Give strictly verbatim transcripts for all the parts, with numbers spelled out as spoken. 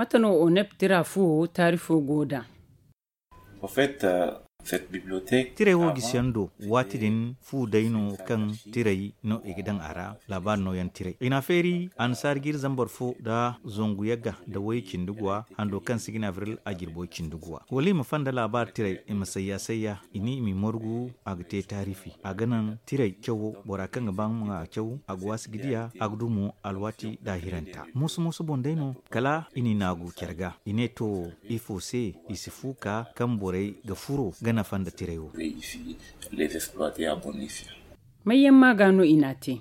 Mate no onep tira fuwo taarifo go nd'a? Tiray wo gisiyaŋ do, waati din fu day no kaŋ tiray no i ga daŋ a ra. Laabaari nooyaŋ tiray i n'a feeri annasaari jiiri zambar fo nda zangu yagga nda way cindi guwa, hando kaŋ se i ga ne abril a jirbo cindi guwa wala i ma fanda laabaari tiray, i ma sayya sayya i ne i m'i margu. A ga te taarifi a ga naŋ tiray cawo bora kaŋ ga ba nga ma a caw, a ga waasi ga diya a ga du mo alwaati daahiranta mooso mooso boŋ day no. Kala i n'i naagu care ga i ne to, ifo se i si fu ka kaŋ borey ga furo ga nafa nda tiray wo? Mayyaŋ maaga no i n'a te?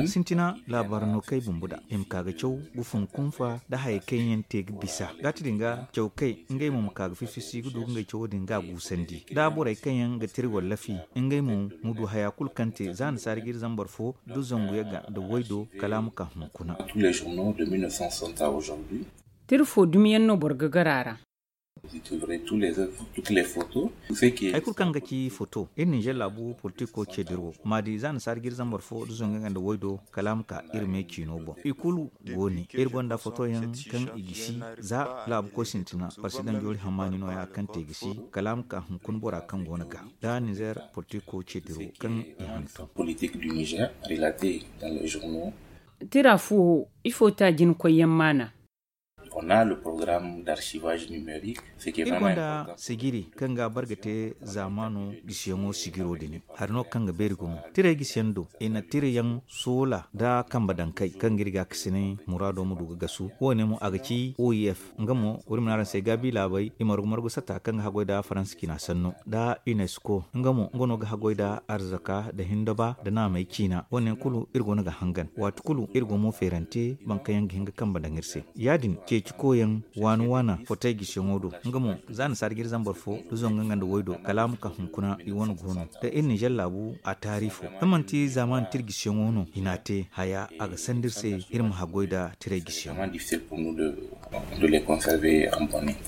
Sintina laabaari no kay bumbo da i ma ka ga caw ga fun kunfa nda hayey kaŋ yaŋ te ga bisa gaati din ga caw kay ngey mo ma ka ga fifisi ga du ga ngey cawo din ga a guusandi da borey kaŋ yaŋ ga tiri wallafi, ngey mo ma du haya kulu kaŋ te za annasaari jiiri zambar fo nda zangu yagga nda waydo kala a ma ka hunkuna. Tiri fo dumi yaŋ no boro ga gar a ra? Hay kulu kaŋ ga ci foto iri ninzeer laabu politiko ce dira wo ma di za annasaari jiiri zambar fo nda zangu yagga nda waydo kala a ma ka iri me ciino boŋ i kulu go ne iri gonda foto yaŋ kaŋ i gisi za laabu koy sintina parsidaŋ joori hammaani nooya kaŋ te gisi kala a ma ka hunkuna bora kaŋ go no ga da ninzeer politiko ce dira wo kaŋ i hantum. Tira fuwo ifo te a jina koyyaŋ maana? Iri gonda sijiri kaŋ ga a bar ga te zaamaano gisiyaŋo sijiro din hari no kaŋ ga beeri gumo tiray gisiyaŋ do i na tirayaŋ soola nda kambe daŋ kay kaŋ ga iri gaakasinay muraado ma du ga gasu wo- ne mo a ga ci o i f nga mo wari ma ne araŋ se gaabi laabey i margu margu sata kaŋ ga haggoy nda faransa ciina sanno nda unesco nga mo nga no ga haggoy nda arzaka nda hindaba nda naamey ciina wo- ne yaŋ kulu iri go no ga hangan waati kulu iri go mo feerante boro kaŋ yaŋ ga hin ga kambe daŋ iri se ya- din ceeci koyyaŋ waana waana fotey gisiyaŋo do nga mo za annasaari jiiri zambar fo nda zangu nga nda waydo kala a ma ka hunkuna i wane go no da iri ninzeer laabu a taarifo da manti zaamaani tira gisiyaŋo no i n'a te haya a ga sanda iri se iri ma haggoy nda tiray gisiyaŋo.